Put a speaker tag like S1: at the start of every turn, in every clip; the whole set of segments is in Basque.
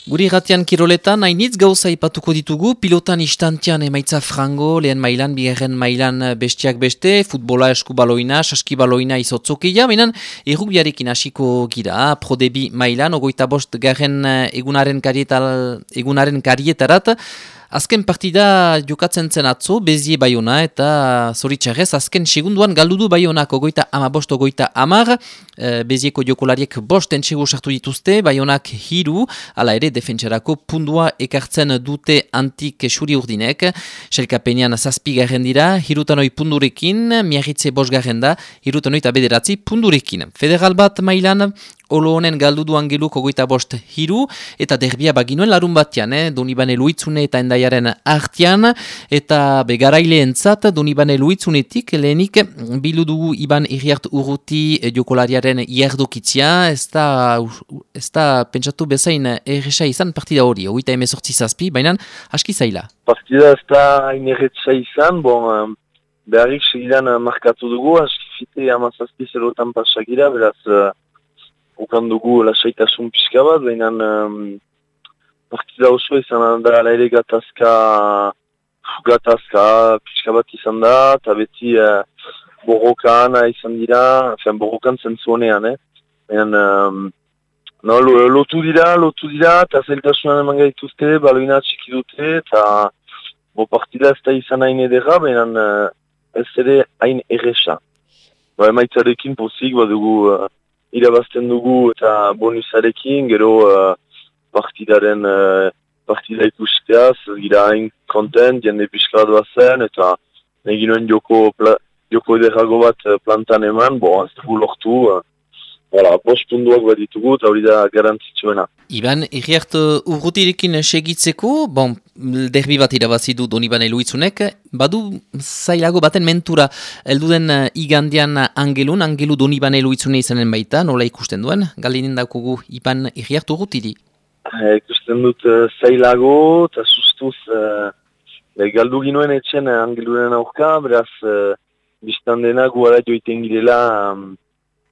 S1: Guri irratian kiroletan, hainitz gauza ipatuko ditugu, pilotan istantian emaitza frango, lehen mailan, bigarren mailan bestiak beste, futbola eskubaloina, saskibaloina izotzokia, benen errugbiarekin hasiko gira, prodebi mailan, 25 garren egunaren karietarat, azken partida jokatzen zen atzo, Bezie Baiona eta zoritxarrez, azken segunduan galdudu Baionak 25-30, Bezieko jokolariek 5 entsegu sartu dituzte, Baionak 3, hala ere defentsarako pundua ekartzen dute antik xuri urdinek, selkapenean 7 garren dira, hirutanoi pundurekin, miarritze 5 garren da, hirutanoi eta 9 pundurekin. Federal bat mailan, Olo honen galdudu angeluk 25-3, eta derbia baginuen larun batean, Donibane Luitzune eta endaiaren artian, eta begarailentzat Donibane Luitzunetik lehenik biludugu Iban Iriart Urruti jokolariaren iardokitzia, ez da pentsatu bezain erresa izan partida hori, 28-7, baina aski zaila.
S2: Partida ez da inerretsa izan, beharrik segidan markatu dugu, aski fite 17-0 pasagira, beraz ukan dugu lasaitasun pixka bat, baina partida oso izan da ere gatazka pixka bat izan da, eta beti borrokan izan dira, borrokan zentzu honean, baina lotu dira, eta zailtasunan eman gaituzte, baloina txiki dute, eta partida ez da izan hain edera, baina ez ere hain erresa. Emaitzarekin pozik badugu irabazten dugu eta bonusarekin, gero partida ikusteaz, gira hain kontent, jende pixka bat bazen, eta egin joko ederrago bat plantan eman, ez dugu lortu, 5 punduak bat ditugu, eta hori da garantzitsuena.
S1: Iban, Iriart Urrutirekin segitzeko, derbi bat irabazidu Donibane Luitzunek, badu zailago baten mentura, elduden igandian Angelu Donibane Luitzune izanen baita, nola ikusten duen, galinen daukugu Iban Iriart Urrutiri?
S2: Ikusten dut zailago, eta sustuz galdu ginoen etxen Angeluren aurka, beraz biztan dena guara joiten girela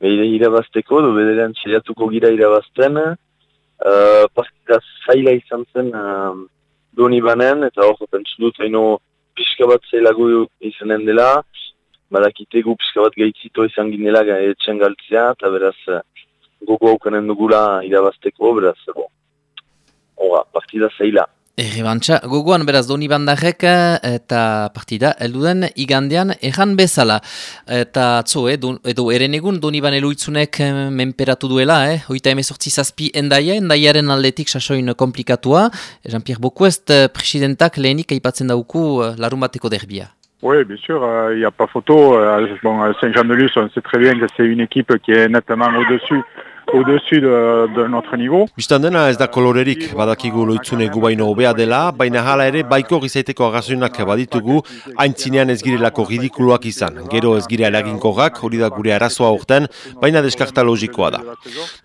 S2: irabazteko, bederean txeriatuko gira irabazten, partida zaila izan zen Donibanen, eta hor, pentsu dut, haino pixka bat zailago izanen dela, badakitegu pixka bat gaitzito izan ginela etxen galtzea, eta beraz, gogo haukanen dugula irabazteko, beraz, partida zaila.
S1: Errebantxa, gogoan beraz Donibandarrek eta partida elduden igandean erran bezala. Eta atzo, edo eren egun Donibane Luitzunek menperatu duela, hoita 18-7 endaiaren aldetik sasoin komplikatua. Jean-Pierre Boquest, presidentak lehenik aipatzen dauku larun bateko derbia.
S3: Oui, bien sûr, il n'y a pas photo. Saint-Jean-de-Luz, on sait très bien que c'est une équipe qui est nettement au-dessus de notre niveau.
S4: Bistan dena ez da kolorerik, badakigu Loitzune gu baino hobea dela, baina hala ere baiko gizaiteko arrazoinak baditugu, aintzinean ez girelako ridikuloak izan. Gero ez gira eraginkorrak, hori da gure arazoa urten, baina deskarta logikoa da.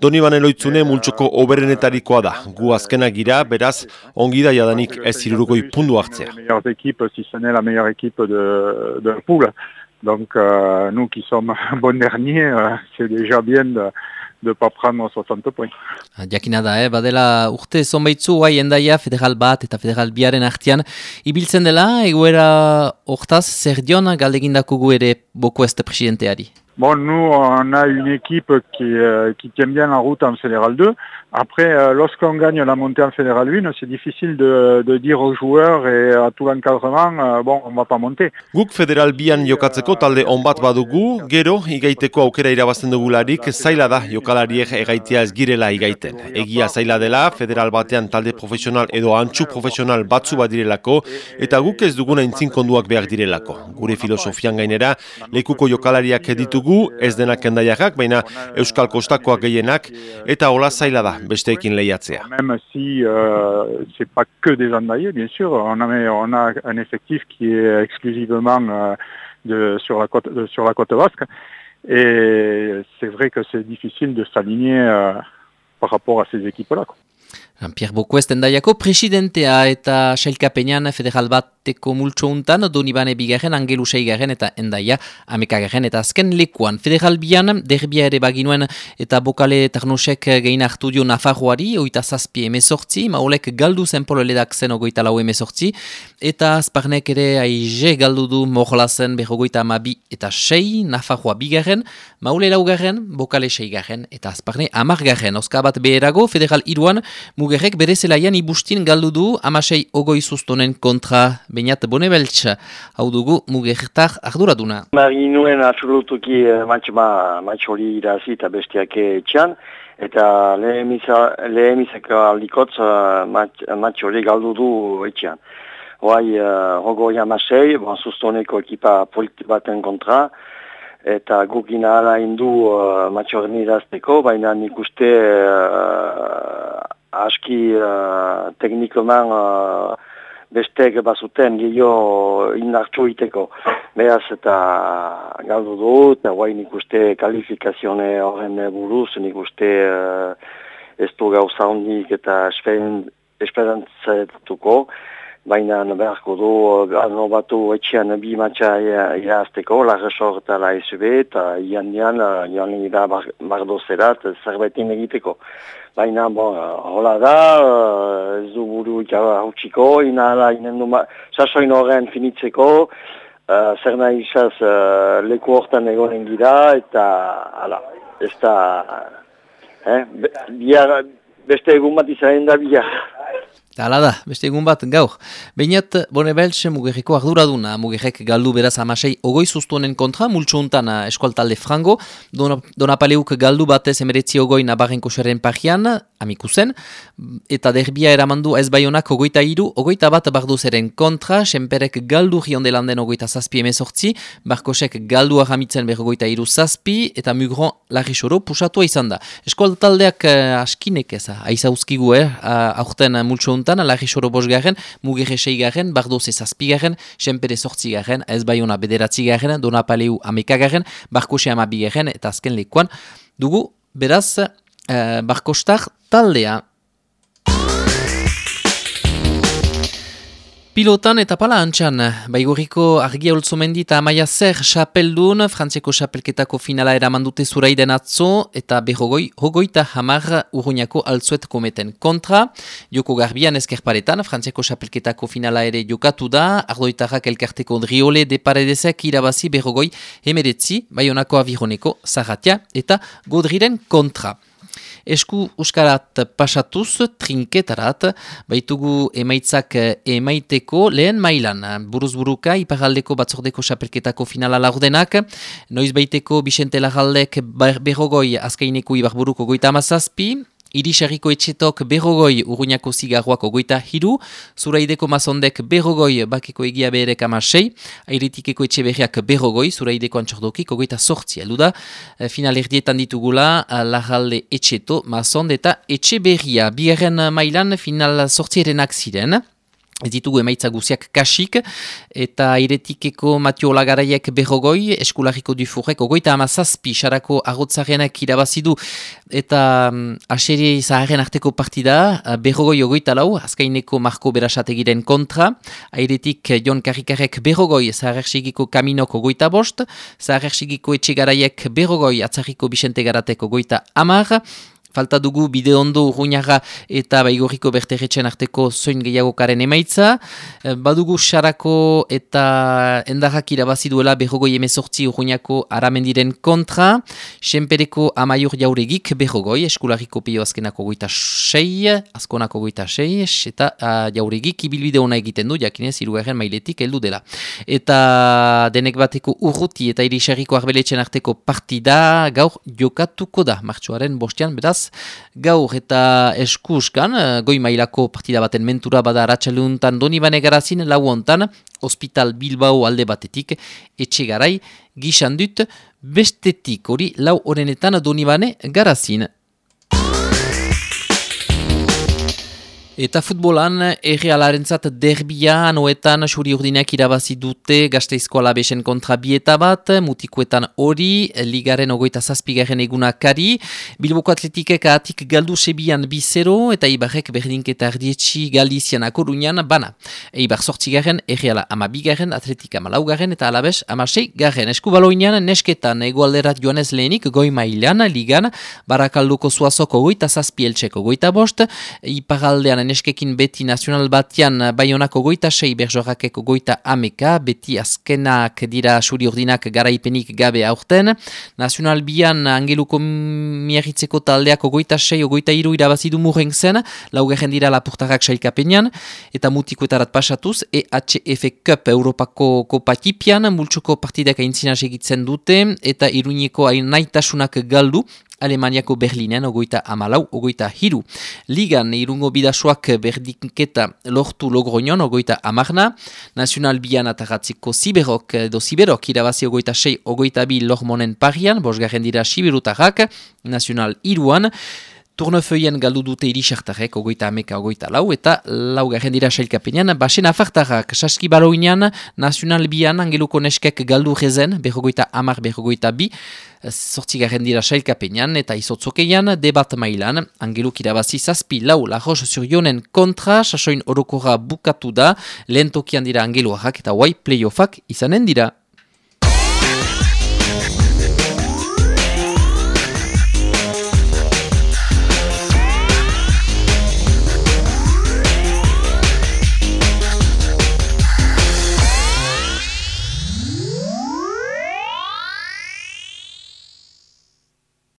S4: Donibane Loitzune multzoko oberenetarikoa da, gu azkenak gira, beraz, ongi da jadanik ez hirurogoi pundu hartzea.
S3: Si ce n'est la meilleure équipe de la poule. Donc, nous qui sommes bon derniers, c'est déjà bien de pas prendre 60 points.
S1: Jakina da, badela urte zonbaitzu, endaia federal bat eta federal biaren artean ibiltzen dela, egoera hortaz, zer dion galdegindakugu ere Boquest presidenteari?
S3: Nous, on a une équipe qui tient bien la route en Fédéral 2. Après, lorsqu'on gagne la montée en Fédéral 1, c'est difficile de dire aux joueurs et à tout l'encadrement, on va pas monter.
S4: Guk Federal bian jokatzeko talde on bat badugu, gero igaiteko aukera irabazten dugularik, zaila da jokalariek egaitea ez girela igaiten. Egia zaila dela, Federal batean talde profesional edo antxu profesional batzu bat direlako, eta guk ez duguna intzinkonduak behar direlako. Gure filosofian gainera, lekuko jokalariak ditugu, ez denak endaiarrak, baina Euskal Kostakoak gehienak, eta hola zaila da besteekin lehiatzea.
S3: Même si c'est pas que des endaillés, bien sûr, on a un effectif qui est exclusivement sur la côte basque, et c'est vrai que c'est difficile de s'aligner par rapport à ces équipes-là.
S1: Pierre Boquest endaiako presidentea eta sailkapenean federal bat bateko multso untan, Donibane bigarren, Angelu seigarren eta Endaia amekagarren eta azken lekuan. Federal bian, derbia ere baginuen eta Bokale Tarnosek gehin hartu dio Nafarroari, oita zazpi emezortzi, maulek galdu zen pololedak zen ogoita lau emezortzi, eta azparnek ere aize galdu du Morlazen berrogoita amabi eta sei, Nafarroa bigarren, maule laugarren, Bokale seigarren eta azparne amargarren. Oska bat beherago, Federal iruan, Mugerrek bere zelaian ibustin galdu du amasei ogoi sustonen kontra Beñat Bonebeltz. Hau dugu Mugertar arduraduna.
S5: Marinuen absolutuki match hori irazi eta bestiak etxean, eta lehemizak aldikotz match hori galdu du etxean. Hoai, hogoi amasei, sustoneko ekipa politi baten kontra, eta gukina ala indu match hori irazteko, baina nik uste aski teknikoman bestek bazuten gehiago indartxo iteko. Beraz eta galdu du, eta guai nik uste kalifikazione horren buruz, nik uste ez du gauza hondik eta esperantzatuko, baina beharko du batu etxean bi matxa irazteko, Larresor eta la SB, eta joan da bardozerat zerbetin egiteko. Baina, hola da, ez du buru hautsiko, sasoin horren finitzeko, zer nahi izaz leku hortan egonen gira, eta, ez da, beste egun bat izan da bihar.
S1: Hala da, beste egun bat gaur. Beñat Bonebeltz Mugerreko arduraduna. Mugerrek galdu beraz amasei ogoi sustuenen kontra, multso untan eskualtalde frango. Donapaleuk galdu batez emeretzi ogoi Nabarren koxaren parian, amikuzen. Eta derbia eramandu ez baionak ogoita iru, ogoita bat barduzeren kontra. Senperek galdu riondelanden ogoita zazpi emezortzi. Barkosek galdu ahamitzen berrogoita iru zazpi. Eta Mugron Larrisoro pusatua izan da. Eskualtaldeak askinek eza, aizauzkigu aurten multso untan, Larrisoro bosgarren, Mugerre seigarren, Bardoze zazpigarren, Senpere zortzigarren, ez baiona bederatzigarren, Donapaleu amekagarren, Barkose amabigarren, eta azken lekuan dugu, beraz, Barkostar taldea. Pilotan eta pala antxan, Baigorriko Argia Olzomendi eta Amaia Zer xapeldun, Frantziako xapelketako finala eramandute zuraiden atzo, eta hogoita hamar Urruñako altzuet kometen kontra. Joko garbian ezkerparetan, Frantziako xapelketako finala ere jokatu da, ardoitarrak elkarteko Driole de Paredesek irabazi berrogoi hemeretzi, Baionako Avironeko Zarratia eta Godriren kontra. Esku uskarat pasatuz, trinketarat, baitugu emaitzak emaiteko lehen mailan. Buruzburuka, iparaldeko batzordeko xapelketako finala laurdenak, noiz baiteko Bixente Larraldek berrogoi azkaineko ibarburuko goita amazazpi, Irisarriko etxetok berrogoi Urruñako zigarroako goita hiru, Zuraideko mazondek berrogoi Bakeko egia beherek amasei, Airetikeko etxe berriak berrogoi, Zuraideko antxordokik goita sortzi. Alduda, final erdietan ditugula Larralde etxeto, mazond eta etxe berria. Bigarren mailan final sortzierenak ziren. Ez ditugu emaitza guziak kasik, eta Airetikeko Matio Olagaraiek berrogoi, Eskularriko Dufurrek ogoita amazazpi, Sarako Arrotzarenak irabazidu, eta aseri zaharren arteko partida, berrogoi ogoita lau, azkaineko Marko Berasategiren kontra, Airetik Jon Karrikarek berrogoi, Zaharrexigiko Kaminok ogoita bost, Zaharrexigiko Etxegaraiek berrogoi, Atzarriko Bixente Garatek ogoita amar, falta dugu Bideondo Urruñaga eta Baigorriko Berterretxen arteko zoin gehiagokaren emaitza. Badugu Sarako eta Endarrak irabazi duela berrogoi emezortzi Urruñako Aramendiren kontra. Senpereko Amaiur Jauregik berrogoi, Eskularriko Pio azkenako goita sei, azkonako goita sei, eta Jauregik ibilbide ona egiten du, jakinez hirugarren mailetik heldu dela. Eta denek bateko Urruti eta Irisarriko Arbeletxen arteko partida gaur jokatuko da, martxoaren bostean, beraz, gaur eta eskuskan, goi mailako partida baten mentura bada Arratsaldeuntan Donibane Garazin, lau hontan, Hospital Bilbao alde batetik, Etxegarai, Gixandut, bestetik, hori lau horenetan Donibane Garazin. Eta futbolan, Errealarentzat derbia, anoetan, suri urdinak irabazi dute, Gasteizko Alabesen kontra bieta bat, mutikoetan hori, ligaren 27. egunakari, Bilboko Atletikek ahatik galdu sebian 2-0, eta Eibarrek berdinketa erdietxi Galizian Akorunian bana. Eibar 8. Erreala 12. Atletika 4. eta Alabes 16. Eskubaloinean, nesketan, egoalderat joanez lehenik, goi mailan, ligan, Barakalduko Zuazoko 27, Eltseko 25, iparaldean neskekin beti nazional batian Baionako 26, Berjorakeko 30, beti azkenak dira suri urdinak garaipenik gabe aurten. Nazional bian Angeluko miarritzeko taldeak 26, 23 irabazidu murren zen, laugarren dira Lapurtarrak sailkapenean, eta mutikoetarat pasatuz, EHF Cup Europako kopatipian, multsuko partidak aintzina segitzen dute, eta Iruñeko naitasunak galdu, Alemaniako Berlinen, 24-23. Ligan, Irungo bidasoak berdinketa lortu Logroñon, 30. Nazional bian atagatziko Siberok irabazi 26-22 Lormonen parian, 5. dira Siberutarrak, Nazional iruan, Turnefeuien galdu dute Irisartarrek, 30-24, eta 4. dira sailkapenean, Basen Afartarrak, Saskibaloinean, Nazional bian, Angeluko neskek galdu rezen, 50-52, 8. dira sailkapenean, eta izotzokeian, debat mailan, Angeluk irabazi 7-4 La Roche-sur-Yonen kontra, sasoin orokorra bukatu da, lehen tokian dira Angeluarrak, eta playoffak izanen dira.